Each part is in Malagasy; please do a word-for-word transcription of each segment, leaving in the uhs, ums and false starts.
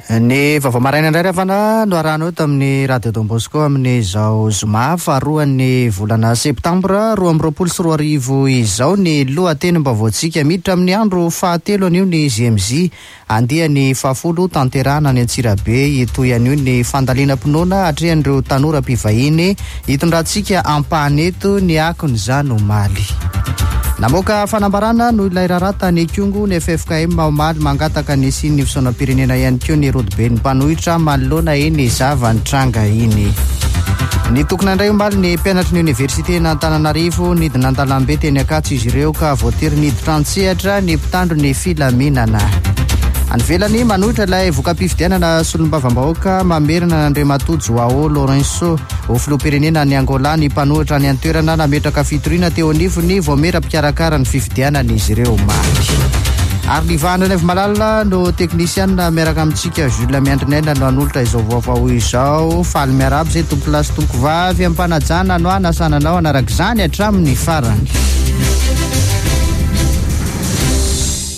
Ny vaovao maraina indray ry havana no arahanao eto amin'ny Radio Don Bosco amin'izao zoma faharoan'ny volana septambra roa amby roapolo sy roa arivo izao. Ny lohatenim-baovaontsika, miditra amin'ny andro fahatelo anio ny J M Z andiany fahafolo tanterahana any Antsirabe. Hitohy anio ny fandalinam-pinoana atrehan'ireo tanora mpivahiny, hitondrantsika ampahany eto ny akon'izany omaly. Namoaka fanambarana noho ilay raharaha tany Ikongo ny F F K M omaly, mangataka ny hisian'ny fisaonam-pirenena ihany koa ny rodoben'ny mpanohitra manoloana iny zava-nitranga iny. Nitokona indray omaly ny mpianatry ny oniversite n'Antananarivo, nidina an-dalambe teny Ankatso izy ireo ka voatery niditra an-tsehatra ny mpitandro ny filaminana. Any ivelany, manohitra ilay voka-pifidianana solombavambahoaka mamerina an'Andriamatoa Joao Lourenço ho filoham-pirenena ny Angola ny mpanohitra any an-toerana. Nametraka fitoriana teo anivon'ny vaomiera mpikarakara ny fifidianana izy ireo omaly. Ary Livahana Naivo Malala no teknisianina miaraka amintsika, Jules Miandrinaina no hanolotra izao vaovao izao. Faly miarahaba izay tompolahy sy tompovavy, ampanajana no anasananao anaraka izany hatramin'ny farany.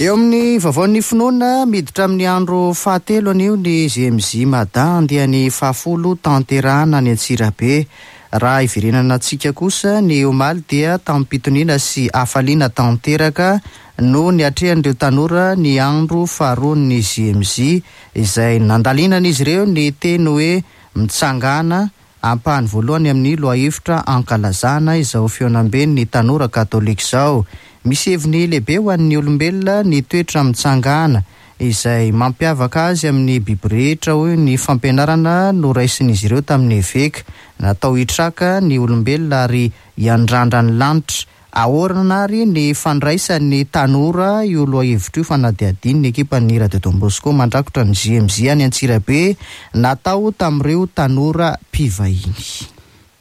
Eo amin'ny vaovaon'ny finoana, miditra amin'ny andro fahatelo anio ny J M J Mada andiany fahafolo tanterahana any Antsirabe. Raha iverenana antsika kosa ny omaly dia tampitoniana sy hafaliana tanteraka no ny atrehan'ireo tanora ny andro faharoan'ny J M J, izay nandalinana izy ireo ny teny hoe mitsangana, ampahany voalohany amin'ny lohahevitra ankalazana izao fihaonamben'ny tanora katolika izao. Misy heviny lehibe ho an'ny olombelona ny toetra mitsangana, izay mampiavaka azy amin'ny biby rehetra, hoy ny fampianarana no raisin'izy ireo tamin'ny eveka. Natao hitraka ny olombelona ary hiandrandra ny lanitra. Ahoana ary ny fandraisan'ny tanora io lohahevitra io? Fanadihadiana ny ekipan'ny Radio Don Bosco mandrakotra ny J M J any Antsirabe natao tamin'ireo tanora mpivahiny.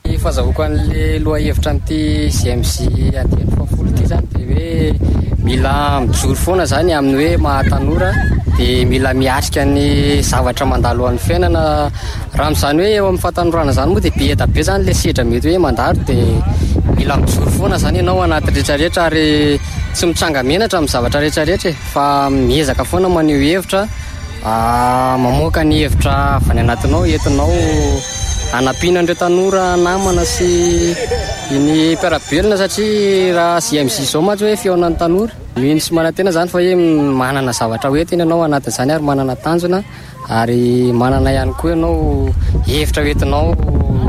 Ny fahazahoako an'le lohahevitra amin'ity J M J andiany fahafolo ity zany dia hoe mila mijoro foana zany amin'ny hoe mahatanora, dia mila miatrika ny zavatra mandalo amin'ny fiainana. Raha amin'izany hoe eo amin'ny fahatanorana zany moa dia be da be zany le sedra mety hoe mandalo, dia mila mijoro foana zany ianao anaty rehetrarehetra ary tsy mitsanga-menatra amin'ny zavatra rehetrarehetra e, fa miezaka foana maneho hevitra, mamoaka ny hevitra avy any anatinao entinao anampiana an'ireo tanora namana sy ny mpiara-belona, satria raha J M J zao mantsy hoe fihaonan'ny tanora, mino sy manantena zany fa hoe manana zavatra hoentina ianao anatin'izany ary manana tanjona ary manana ihany koa ianao hevitra hoentinao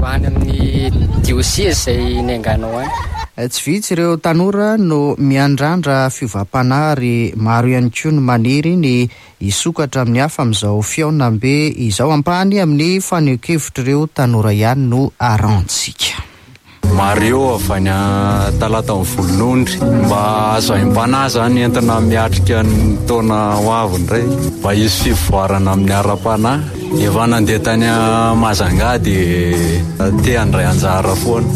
any amin'ny diocèse izay niainganao any. Tsy vitsy ireo tanora no miandrandra fiovam-panahy ary maro ihany koa no maniry ny hisokatra amin'ny hafa amin'izao fihaonambe izao. Ampahany amin'ny fanehoan-kevitra ireo tanora ihany no arahantsika. Mario avy any Talata Volonondry. Mba azo aim-panahy zany entina miatrika ny taona ho avy indray, mba hisy fivoarana amin'ny ara-panahy. Efa nandeha tany Mazanga dia te handray anjara foana,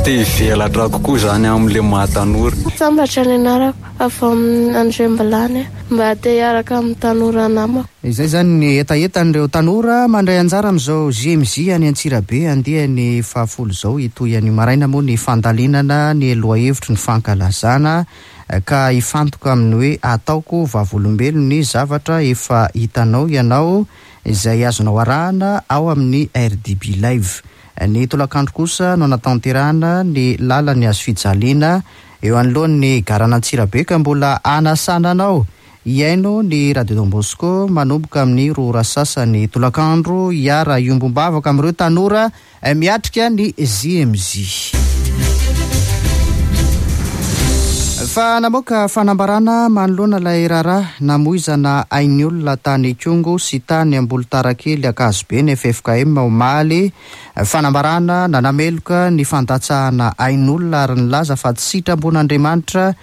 te hivelatra kokoa zany amin'le mahatanora. Sambatra ny anarako, avy amin'ny Andrembilany, mba te hiaraka amin'ny tanora namako. Izay zany ny hetahetan'ireo tanora mandray anjara amin'izao J M J any Antsirabe andiany fahafolo izao. Hitohy anio maraina moa ny fandalinana ny lohahevitry ny fankalazana ka hifantoka amin'ny hoe ataoko vavolombelo ny zavatra efa hitanao ianao, izay azonao arahana ao amin'ny R D B Live. Ny tolakandro kosa no anatanterahana ny lalan'ny hazo fijaliana eo anoloan'ny garan'Antsirabe, ka mbola anasana anao hiaino ny Radio Don Bosco manomboka amin'ny roa ora sasany tolakandro, hiara hiombom-bavaka amin'ireo tanora miatrika ny J M J. Fa namoaka fanambarana manoloana ilay raharaha namoizana ain'ny olona tany Ikongo sy tany Ambolitarakely Ankazobe ny F F K M omaly. Fanambarana nanameloka ny fandatsahana ain'olona ary nilaza fa tsy sitrapon'Andriamanitra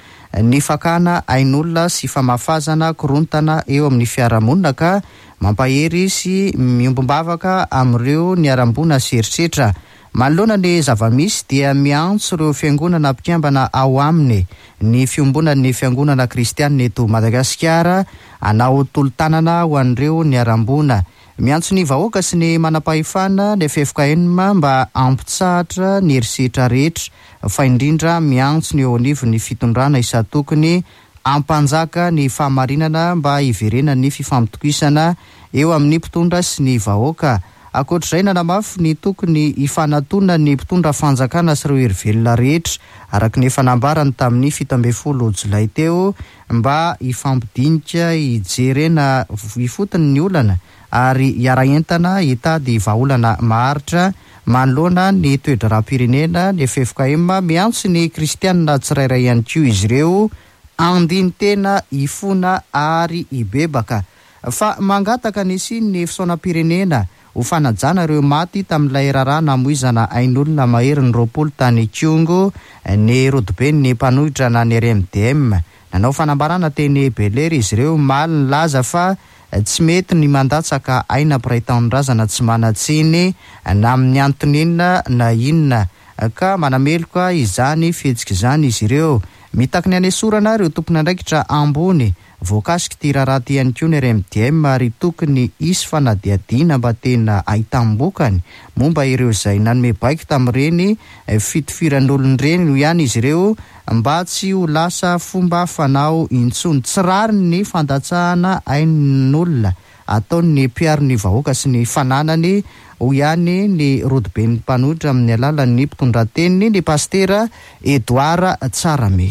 ny fakana ain'olona sy famafazana korontana eo amin'ny fiarahamonina, ka mampahery sy miombom-bavaka amin'ireo niharam-boina sy herisetra. Manoloana ny zava-misy dia miantso ireo fiangonana mpikambana ao aminy ny Fiombonan'ny Fiangonana Kristianina eto Madagasikara hanao tolo-tanana ho an'ireo niharam-boina. Miantso ny vahoaka sy ny manam-pahefana ny F F K M mba hampitsahatra ny herisetra rehetra, fa indrindra miantso ny eo anivon'ny fitondrana isan-tokony hampanjaka ny fahamarinana mba hiverenan'ny fifampitokisana. eo amin'ny mpitondra sy ny vahoaka. Ankoatr'izay, nanamafy ny tokony hifanatonan'ny mpitondra fanjakana sy ireo hery velona rehetra araka ny efa nambarany tamin'ny fito ambin'ny folo jolay teo mba hifampidinika, hijerena ifotony ny olana ary hiara-entana hitady vahaolana maharitra manoloana ny toe-draharaham-pirenena. Ny F F K M miantso ny kristianina tsirairay ihany koa izy ireo andinin-tena, hifona ary hibebaka, fa mangataka ny hisian'ny fisaonam-pirenena ho fanajana ireo maty tamin'ilay raharaha namoizana ain'olona maherin'ny roapolo tany Ikongo ny rodoben'ny mpanohitra na ny R M D M. Nanao fanambarana teny Bel-Air izy ireo omaly nilaza fa tsy mety ny mandatsaka aina mpiray tanindrazana tsy manan-tsiny na amin'ny antony inona na inona, ka manameloka izany fihetsika izany izy ireo. Mitaky ny hanesorana ireo tompon'andraikitra ambony voakasika ity raharaha ity ihany koa ny R M D M ary tokony hisy fanadihadiana mba tena ahitam-bokany momba ireo izay nanome baiko tamin'ireny fitifiran'olona ireny ihany izy ireo mba tsy ho lasa fomba fanao intsony. Tsy rariny ny fandatsahana ain'olona ataon'ny mpiaro ny vahoaka sy ny fananany, hoy ihany ny rodoben'ny mpanohitra amin'ny alalan'ny mpitondra-teniny, ny pastera Edouard Tsarame.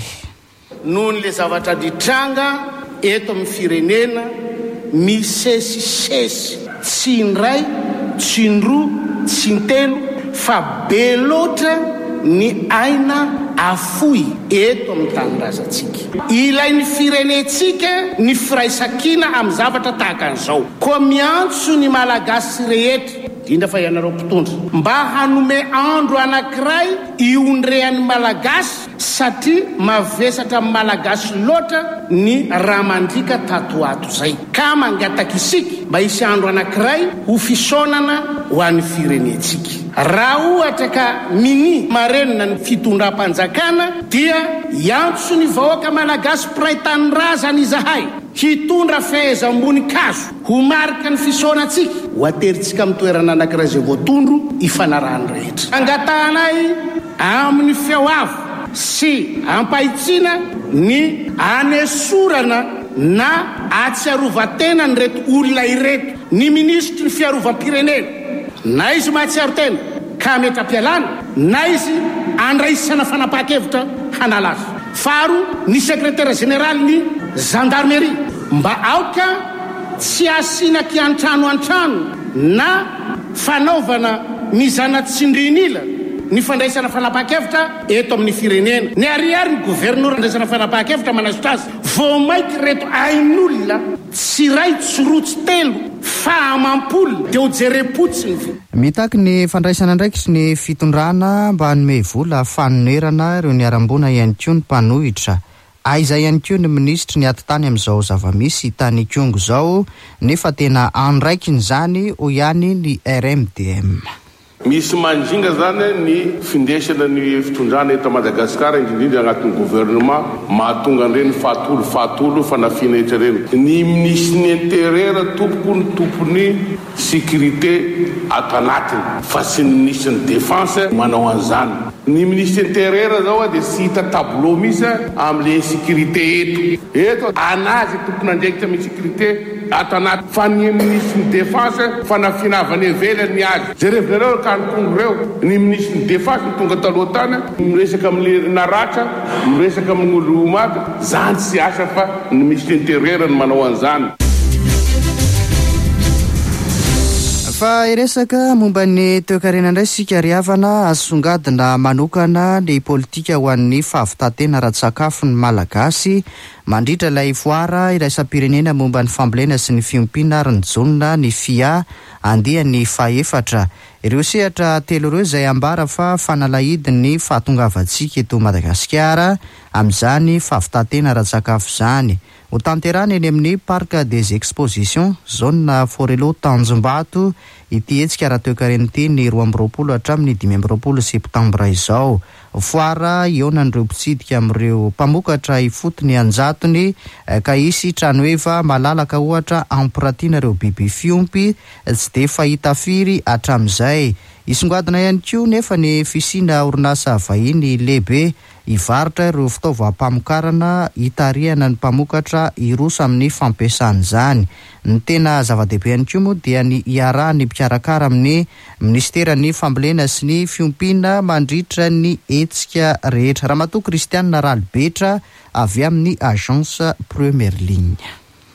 Noho ny zavatra nitranga eto amin'ny firenena misesisesy, tsy indray, tsy indroa, tsy intelo, fa be loatra ny aina afoy eto amin'ny tanindrazantsika. Ilain'ny firenentsika ny firaisankina amin'ny zavatra tahaka an'izao. Koa miantso ny Malagasy rehetra, indrindra fa ianareo mpitondra, mba hanome andro anankiray iondrehan'ny Malagasy, satria mavesatra amin'ny Malagasy loatra ny raha mandriaka tato ato izay. Ka mangataka isika mba hisy andro anankiray ho fisaonana ho an'ny firenentsika. Raha ohatra ka mini marenina ny fitondram-panjakana dia hiantso ny vahoaka Malagasy mpiray tanindrazana izahay hitondra fehezam-boninkazo ho marika ny fisaonantsika, ho aterintsika amin'ny toerana anankiray izay voatondro ifanarahan'ny rehetra. Angatahanay amin'ny feo avo sy ampahitsiana ny anesorana na atsiarovan-tena an'ireto olona ireto, ny minisitry ny fiarovam-pirenena, na izy mahatsiaro tena ka hametra-pialana, na izy andraisana fanapahan-kevitra hanala azy. Faharoa, ny sekretera jeneraly ny gendarmerie mba aoka tsy asiana kiantrano an-trano na fanaovana mizana tsindrin'ila ny fandraisana fanapahan-kevitra eto amin'ny firenena. Ny ariary ny governora andraisana fanapahan-kevitra manasotra azy. Vao mainka ireto ain'olona tsy iray, tsy roa, tsy telo fa amam-polo dia ho jerem-potsiny ve? Mitaky ny fandraisana andraikitry ny fitondrana mba hanome vola fanonerana ireo niharam-boina ihany koa ny mpanohitra. Aiza ihany koa ny minisitry ny atitany amin'izao zava-misy tany Ikongo izao, nefa tena andraikiny izany, hoy ihany ny R M D M. Misy mandringa zany ny findesana ny fitondrana eto Madagasikara, indrindrindra agnatin'ny gouvernement, mahatonga an'ireny fahatolo fahatolo fanafiana etra ireny. Ny minisitry ny intérieur tompoko ny tompony sécurité ato anatiny, fa tsy ny minisitry ny défense manao an'izany. Ny minisitry intérieur zao dia tsy hita tableau mihitsy amin'ilay insécurité eto. Eto anazy tompon'andraikitra amin'ny sécurité ato anaty, fa ny minisitry ny défense fanafiana avy any ivelany ny azy. Jerevinareo ka ny Kongo ireo, ny minisitry ny défense no tonga taloha tany, miresaka amin'ny naratra, miresaka amin'ny olo maty, zany tsy asa fa ny minisitry intérieur no manao an'izany. Fa hiresaka momba ny toekarena indray isika ry havana, asongadina manokana ny politika ho an'ny fahavitantena ara-tsakafo ny Malagasy mandritra ilay foara iraisam-pirenena momba ny fambolena sy ny fiompiana ary ny jonona ny F I A andiany fahefatra. Ireo sehatra telo ireo izay ambara fa fanalahidin'ny fahatongavantsika eto Madagasikara amin'izany fahavitantena ara-tsakafo izany. Ho tanterahana eny amin'ny Parc des Expositions, zone Forello Tanjombato, ity hetsika ara-toekarena ity ny roa amby roapolo hatramin'ny dimy amby roapolo septambra izao. Foara hihaonan'ireo mpitsidika amin'ireo mpamokatra ifotony an-jatony, ka hisy tranoheva malalaka ohatra hampiratiana ireo biby fiompy tsy dia fahita firy hatramin'izay. Isongadina ihany koa nefa ny fisiana orinasa vahiny lehibe hivarotra ireo fitaovam-pamokarana hitarihana ny mpamokatra hiroso amin'ny fampiasana izany. Ny tena zava-dehibe ihany koa moa dia ny iarahan'ny mpikarakara amin'ny minisiteran'ny fambolena sy ny fiompiana mandritra ny hetsika rehetra. Ramatoa Kristianina Ralibetra avy amin'ny Agence Première Ligne.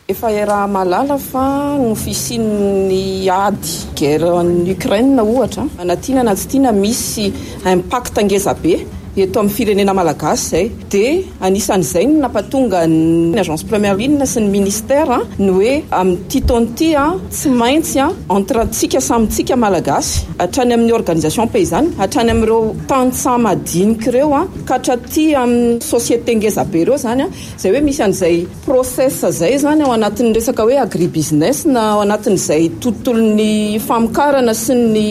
Efa iaraha-mahalala fa no fisian'ny ady guerre en Ukraine ohatra, na tiana na tsy tiana misy impact ngeza be eto amin'ny firenena malagasy izay. Dia anisan'izay no nampatonga ny Agence Première Ligne sy ny ministère ny hoe amin'ity taona ity tsy maintsy entre antsika samy tsika malagasy, hatrany amin'ny organisation paysanne, hatrany amin'ireo tantsaha madinika ireo, ka hatraty amin'ny société ngeza be ireo zany, izay hoe misy an'izay process zay zany ao anatin'ny resaka hoe agribusiness na ao anatin'izay tontolon'ny famokarana sy ny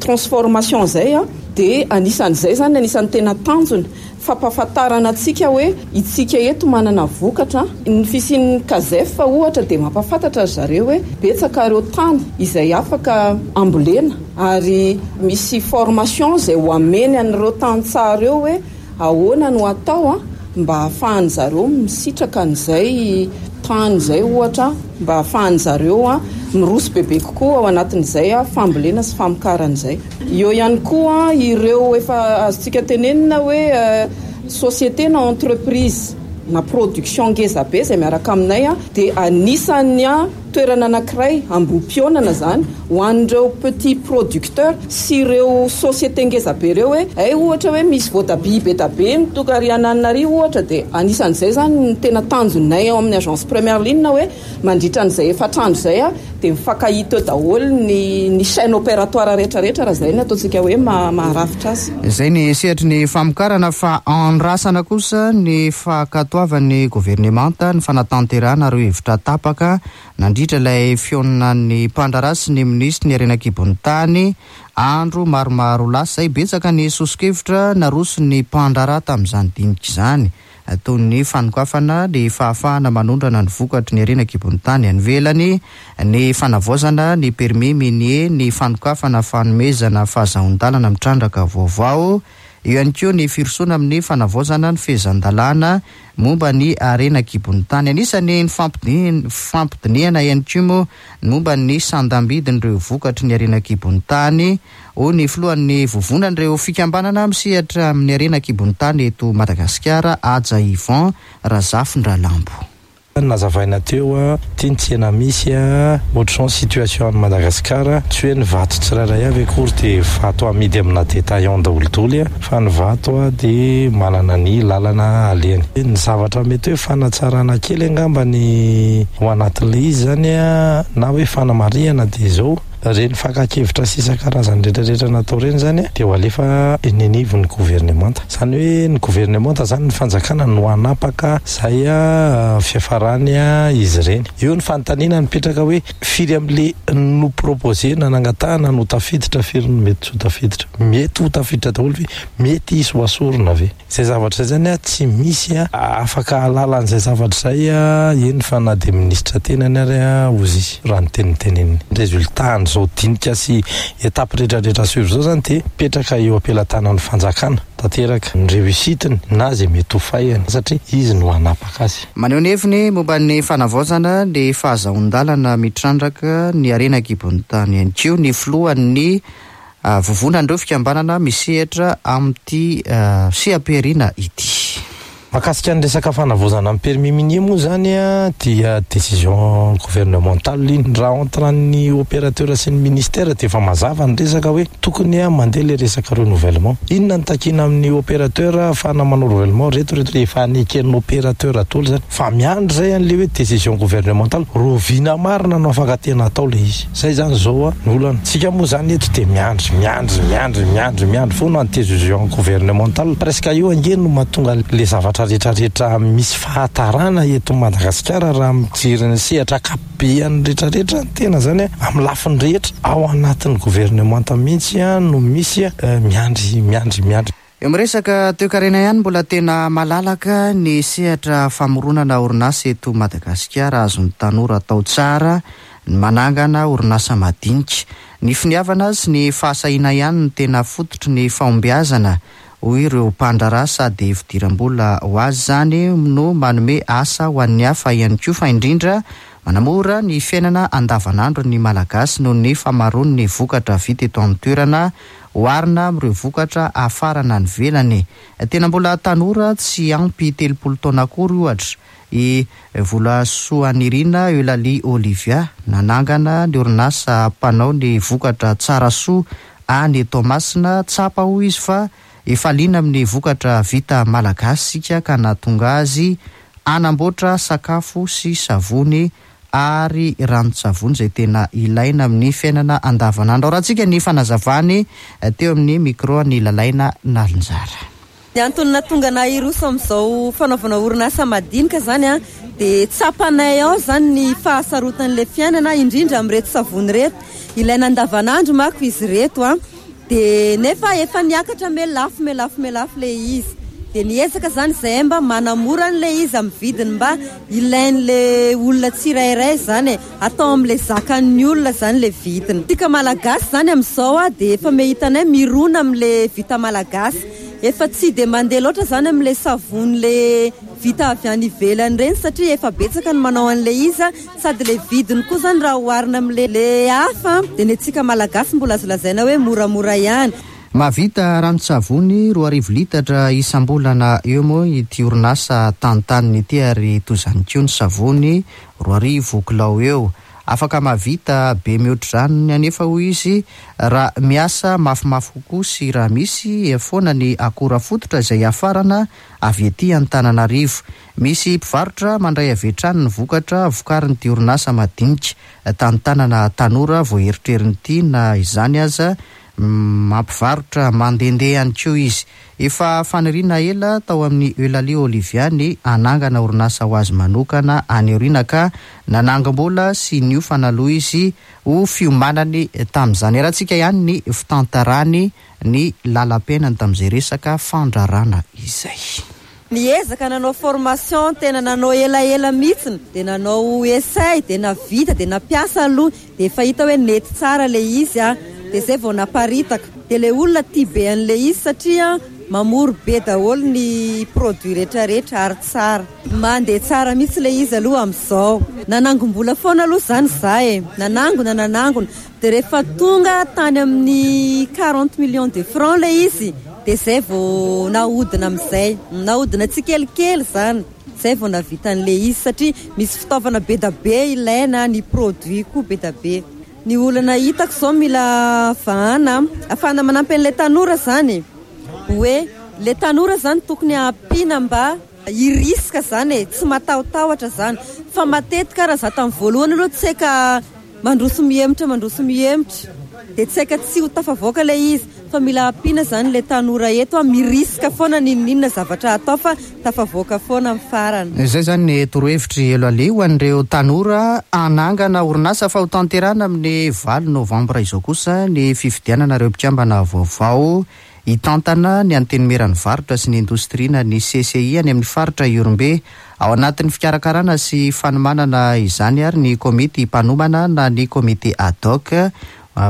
transformation zay. Dia anisan'izay zany anisan'ny tena tanjona fampahafantarana antsika hoe itsika eto manana vokatra. Ny fisian'ny CASEF ohatra dia mampahafantatra ry zareo hoe betsaka ireo tany izay afaka ambolena, ary misy formation izay ho ameny an'ireo tantsaha ireo hoe ahoana no atao mba ahafahan' zareo misitraka an'izay tany izay ohatra, mba ahafahan' zareo miroso bebe kokoa ao anatin'izay fambolena sy famokarana izay. Eo ihany koa ireo efa azontsika tenenina hoe société na entreprise na production ngeza be izay miaraka aminay, dia anisan'ny toerana anankiray ambohim-pionana zany ho an'ireo petit producteur sy ireo société ngeza be ireo hoe ay ohatra hoe misy voatabia be da be mitoka ary ananina ohatra, dia anisan'izay zany ny tena tanjonay ao amin'ny Agence Première Ligne hoe mandritra an'izay efatra andro izay dia mifankahita eo daholo ny ny chaîne opératoire rehetrarehetra raha izay no ataontsika hoe maharafitra azy. Izay ny sehatry ny famokarana, fa andrasana kosa ny fankatoavan'ny governemanta ny fanatanterahana ireo hevitra tapaka nandritra ilay fihaonan'ny mpandraharaha sy ny minisitry ny harena an-kibon'ny tany andro maromaro lasa izay. Betsaka ny soso-kevitra naroson'ny mpandraharaha tamin'izany dinika izany, toy ny fanokafana ny fahafahana manondrana ny vokatry ny harena an-kibon'ny tany any ivelany, ny fanavaozana ny permis minier, ny fanokafana fanomezana fahazoan-dalana mitrandraka vaovao, eo ihany koa ny firosoana amin'ny fanavaozana ny fehezan-dalàna momba ny harena an-kibon'ny tany. Anisan'ny fampidinihana ihany koa moa ny momba ny sandam-bidin'ireo vokatry ny harena an-kibon'ny tany, hoy ny filohan'ny vovonan'ireo fikambanana misehatra amin'ny harena an-kibon'ny tany eto Madagasikara, Haja Yvon Razafindralambo. Nazavaina teo ty ny tsena misy ohatr'izao ny situation any Madagasikara, tsy hoe ny vato tsirairay avy akory dia vato amidy amina détaillant daholodoly, fa ny vato dia manana ny lalana alehany. Ny zavatra mety hoe fanatsarana kely angamba ny ao anatin'ilay izy zany na hoe fanamarihana dia izao, ireny fakan-kevitra sy isan-karazany rehetrarehetra natao ireny zany dia ho alefa eny anivon'ny governemanta. Izany hoe ny governemanta zany, ny fanjakana no hanapaka izay fiafarany izy ireny. Eo ny fanontaniana nipetraka hoe firy amin'le no proposé na nangatahana no tafiditra, firy no mety tsy ho tafiditra, mety ho tafiditra daholo ve, mety hisy ho asorina ve? Izay zavatra izay zany tsy misy afaka ahalala an'izay zavatra izay, eny fa na dia minisitra tenany ary hozy izy raha ny teniteneniny. Résultat an'izao dinika sy étape rehetrarehetra suivre zao zany dia mipetraka eo am-pelatanan'ny fanjakana tanteraka ny réussite-ny na izay mety ho faihany, satria izy no hanapaka azy. Maneho ny heviny momba ny fanavaozana ny fahazoan-dalana mitrandraka ny harena an-kibon'ny tany ihany koa ny filohan'ny vovonan'ireo fikambanana misehatra amin'ity seha-pihariana ity. Mahakasika ny resaka fanavaozana ny permis minier moa zany dia décision gouvernementale iny. Raha entre ny opérateur sy ny ministère dia efa mazava ny resaka hoe tokony mandeha le resaka renouvellement. Inona ny takiana amin'ny opérateur ahafahana manao renouvellement? Reto reto efa neken'ny opérateur daholo zany, fa miandry zay an'le hoe décision gouvernementale roviana marina no afaka tena atao le izy. Zay zany zao ny olana. Tsika moa zany eto dia miandry miandry miandry miandry miandry foana ny décision gouvernementale. Presque io ange no mahatonga le zavatra rehetrarehetra misy fahatarana eto Madagasikara raha mijery ny sehatra ankapobeany rehetrarehetra ny tena zany amin'ny lafiny rehetra ao anatin'ny governemanta mihitsy no misy miandry miandry miandry. Eo miresaka toekarena ihany, mbola tena malalaka ny sehatra famoronana orinasa eto Madagasikara, azon'ny tanora atao tsara ny manangana orinasa madinika. Ny finiavana sy ny fahasahiana ihany no tena fototry ny fahombiazana, hoy ireo mpandraharaha, sady fidiram-bola ho azy izany no manome asa ho an'ny hafa ihany koa, fa indrindra manamora ny fiainana andavanandro ny Malagasy noho ny famaroan'ny vokatra vita eto an-toerana oharina amin'ireo vokatra hafarana any ivelany. Tena mbola tanora tsy ampy telopolo taona akory ohatra i Volasoanirina Eulalie Olivia, nanangana ny orinasa mpanao ny vokatra Tsarasoa any Toamasina. Tsapa hoy izy fa efa liana amin'ny vokatra vita malagasy isika ka nahatonga azy hanamboatra sakafo sy savony ary ranon-tsavony izay tena ilaina amin'ny fiainana andavanandro. Arahantsika ny fanazavany teo amin'ny micro ny Lalaina Nalinjara. Ny antony nahatonga anay hiroso amin'izao fanaovana orinasa madinika zany a, dia tsapanay ao zany ny fahasarotan'ilay fiainana, indrindra amin'ireto savony ireto. Ilaina andavanandro manko izy ireto a, dia nefa efa niakatra me lafo, me lafo, me lafo ilay izy. Dia niezaka zany izahay mba manamora an'ilay izy amin'ny vidiny mba ilain'ilay olona tsirairay zany e, atao amin'ilay zakan'ny olona zany ilay vidiny. Tsika Malagasy zany amin'izao a, dia efa mehitanay mirona amin'ilay vita malagasy. Efa tsy dia mandeha loatra zany amin'ilay savony ilay vita avy any ivelany ireny satria efa betsaka ny manao an'ilay izy a, sady ilay vidiny koa zany raha oharina amin'ilay hafa dia ny antsika Malagasy mbola azo lazaina hoe moramora ihany. Mahavita ranon-tsavony roa arivo litatra isam-bolana eo moa ity orinasa tantaniny ity, ary toy izany koa ny savony roa arivo kilao eo. Afaka mahavita be mihoatra izany anefa hoy izy raha miasa mafimafy kokoa sy raha misy foana ny akora fototra izay hafarana avy ety Antananarivo. Misy mpivarotra mandray avy hatrany ny vokatra vokarin'ity orinasa madinika tantanana tanora vao eritreriny ity, na izany aza mampivarotra mandehandeha ihany koa izy. Efa faniriana ela tao amin'ny Eulalie Olivia ny hanangana orinasa ho azy manokana any aoriana, ka nanangam-bola sy niofana aloha izy ho fiomanany tamin'izany. Arahantsika ihany ny fitantarany ny lalam-piainany tamin'izay resaka fandrarana izay. Niezaka nanao formation, tena nanao elaela mihitsiny, dia nanao essai, dia navita, dia nampiasa aloha, dia efa hita hoe nety tsara ilay izy a, dia izay vao naparitaka. Dia ilay olona tia be an'ilay izy satria mamory be daholo ny produit rehetrarehetra ary tsara. Mandeha tsara mihitsy ilay izy aloha amin'izao. Nanangom-bola foana aloha izany za e, nanangona nanangona. Dia rehefa tonga tany amin'ny quarante millions de francs ilay izy, dia izay vao nahodina amin'izay. Nahodina tsikelikely izany, izay vao navita an'ilay izy satria misy fitaovana be da be ilaina, ny produit koa be da be. Ny olana hitako izao mila vahana, ahafahana manampy an'ilay tanora izany. Hoe ilay tanora izany tokony ampiana mba hiriska izany e, tsy matahotahotra izany. Fa matetika raha za tamin'ny voalohany aloha tsy haika mandroso mihemotra, mandroso mihemotra, dia tsy haika tsy ho tafavoaka ilay izy. Fa mila ampiana izany ilay tanora eto, miriska foana n'inon'inona zavatra atao fa tafavoaka foana amin'ny farany. Izay izany ny torohevitry Eulalie ho an'ireo tanora hanangana orinasa, fa ho tanterahana amin'ny valo novambra izao kosa ny fifidianana ireo mpikambana vaovao hitantana ny Antenimieran'ny varotra sy ny indostria na ny C C I any amin'ny faritra Ihorombe. Ao anatin'ny fikarakarana sy fanomanana izany ary ny komity mpanomana na ny komity ad hoc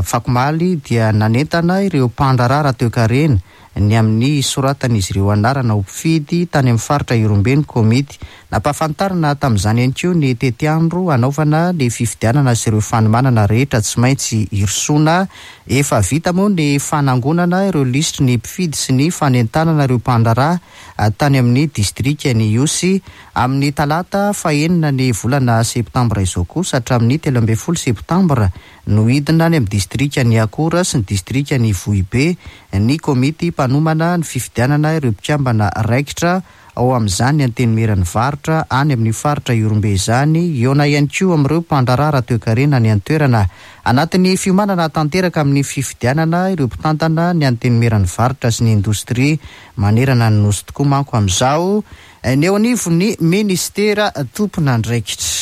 fakomaly dia nanentana ireo mpandraharaha ara-toekarena ny amin'ny soratan'izy ireo anarana ho mpifidy tany amin'ny faritra Ihorombe ny komity. Nampahafantarina tamin'izany ihany koa ny tetiandro hanaovana ny fifidianana sy ireo fanomanana rehetra tsy maintsy hirosoana. Efa vita moa ny fanangonana ireo lisitry ny mpifidy sy ny fanentanana ireo mpandraharaha tany amin'ny distrikan'i Ihosy amin'ny talata fahenina ny volana septambra izao kosa hatramin'ny telo ambin'ny folo septambra no hidina any amin'ny distrikan'i Akora sy ny distrikan'i Vohibe ny komity mpanomana ny fifidianana ireo mpikambana raikitra ao amin'izany Antenimieran'ny varotra any amin'ny faritra Ihorombe izany. Hihaona ihany koa amin'ireo mpandraharaha ara-toekarena any an-toerana. Anatin'ny fiomanana tanteraka amin'ny fifidianana ireo mpitantana ny Antenimieran'ny varotra sy ny indostria manerana ny nosy tokoa manko amin'izao ny eo anivon'ny ministera tompon'andraikitra.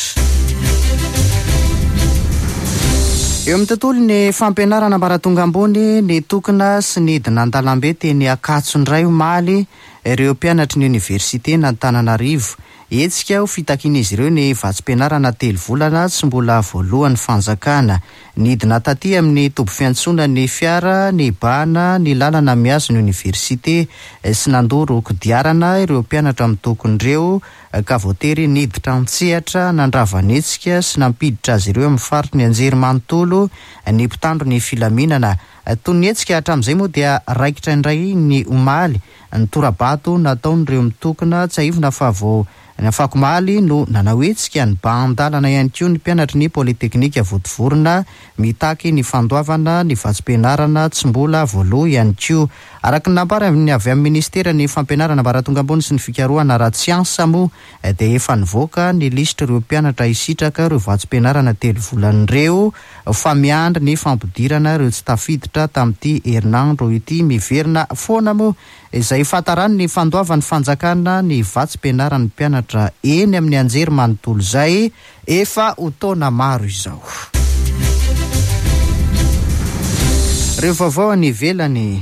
Eo amin'ny tontolon'ny fampianarana ambaratonga ambony, ny tokona sy ny hidina an-dalambe teny Ankatso indray omaly ireo mpianatry ny oniversite n'Antananarivo. Hetsika ho fitakian'izy ireo ny vatsim-pianarana telo volana tsy mbola voaloan'ny fanjakana. Nidina taty amin'ny toby fiantsonana ny fiara nibahana ny lalana mihazo ny oniversite sy nandoro kodiarana ireo mpianatra mitokona ireo, ka voatery niditra an-tsehatra nandrava ny hetsika sy nampiditra azy ireo amin'ny faritry ny anjery manontolo ny mpitandro ny filaminana. Toy ny hetsika hatramin'izay moa dia raikitra indray ny omaly ny tora-bato nataon'ireo mitokona. Tsiahivina fa vao ny afakomaly no nanao hetsika nibahan-dalana ihany koa ny mpianatry ny Polyteknika Vontovorona mitaky ny fandoavana ny vatsim-pianarana tsy mbola voaloa ihany koa. Araka ny nambarany avy amin'ny ministeran'ny fampianarana ambaratonga ambony sy ny fikarohana ara-tsiansa moa dia efa nivoaka ny lisitr'ireo mpianatra hisitraka ireo vatsim-pianarana telo volana ireo, fa miandry ny fampidirana ireo tsy tafiditra tamin'ity herinandro ity. Miverina foana moa izay fahatarany ny fandoavan'ny fanjakana ny vatsim-pianaran'ny mpianatra eny amin'ny anjery manontolo izay efa ho taona maro izao. Ireo vaovao any ivelany.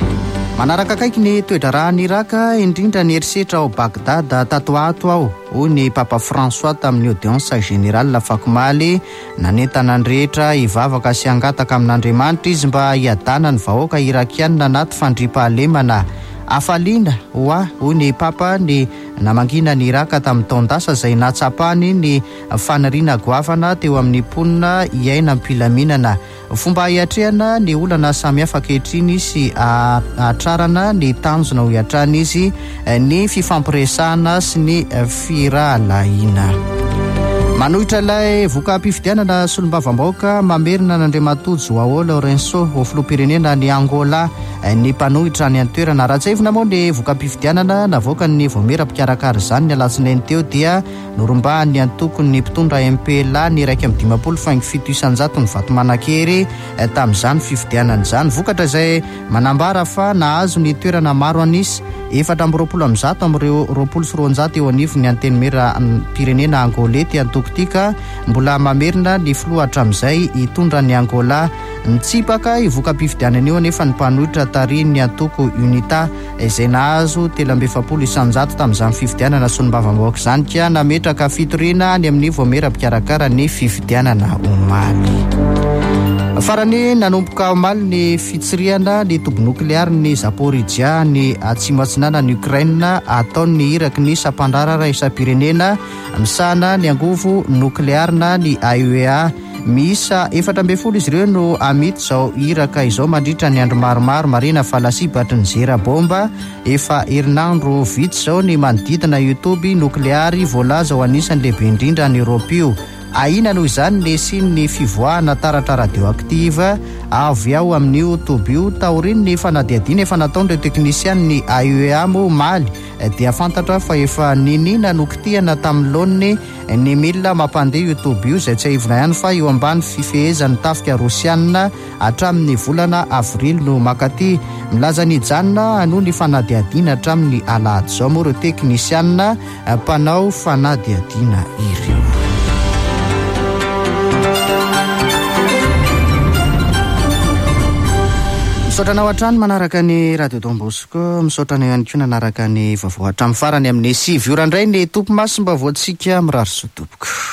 Manaraka akaiky ny toe-draharahan'i Iraka, indrindra ny herisetra ao Bagdad tato ato aho, hoy ny Papa François tamin'ny audience générale afakomaly. Nanentana ny rehetra hivavaka sy hangataka amin'Andriamanitra izy mba hiadana ny vahoaka irakianina anaty fandriampahalemana. Hafaliana ho ahy, hoy ny Papa, ny namangina ny Iraka tamin'ny taon-dasa izay nahatsapany ny faniriana goavana teo amin'ny mponina hiaina am-pilaminana. Fomba hiatrehana ny olana samihafa ankehitriny sy hahatrarana ny tanjona ho hiatrana izy ny fifampiresahana sy ny firahalahiana. Manohitra ilay voka-pifidianana solombavambahoaka mamerina an'Andriamatoa Joao Lourenço ho filoham-pirenena ny Angola ny mpanohitra any an-toerana. Raha tsiahivina moa ny voka-pifidianana navoakan'ny vaomiera mpikarakara izany ny alatsinainy teo dia norombahan'ny antokon'ny mpitondra M P L A ny iraika amby dimampolo faingo fito isan-jato ny vato manan-kery tamin'izany fifidianana izany. Vokatra izay manambara fa nahazo ny toerana maro an'isa efatra amby roapolo amby zato amin'ireo roapolo sy roanjato eo anivon'ny antenimieram-pirenena angolais ty antoko ty, ka mbola mamerina ny filoha hatramin'izay hitondra ny Angola. Nitsipaka io voka-pifidianana io anefa ny mpanohitra tarihin'ny antoko UNITA izay nahazo telo amby efapolo isan-jato tamin'izany fifidianana solombavambahoaka izany, ka nametraka fitoriana any amin'ny vaomiera mpikarakara ny fifidianana omaly. Farany, nanomboka omaly ny fitsirihana ny toby noklearin'ny Zaporijia ny atsimo atsinanan'i Ukraine ataon'ny iraky ny sampandraharaha iraisam-pirenena misahana ny angovo noklearina ny A E E A. Miisa efatra ambin'ny folo izy ireo no hamita izao iraka izao mandritra ny andro maromaro. Marihina fa lasibatry ny zera bomba efa herinandro vitsy izao ny manodidina io toby nokleary voalaza ho anisan'ny lehibe indrindra any Eoropa io. Ahiana noho izany ny hisian'ny fivoahana taratra radioactive avy ao amin'io toby io. Taorian'ny fanadihadiana efa nataon'ireo teknisian'ny A E E A moa omaly dia fantatra fa efa niniana nokitihana tamin'ny laoniny ny milina mampandeha io toby io, izay tsiahivina ihany fa eo ambany fifehezan'ny tafika rosianina hatramin'ny volana avrily no makaty. Milaza ny hijanona hanohy ny fanadihadiana hatramin'ny alahady izao moa ireo teknisianina mpanao fanadihadiana ireo. Misaotra anao hatrany manaraka ny Radio Don Bosco, misaotra anao ihany koa nanaraka ny vaovao hatramin'ny farany amin'ny sivy ora indray ny Tompo Masimba voantsika mirary soa tompoko.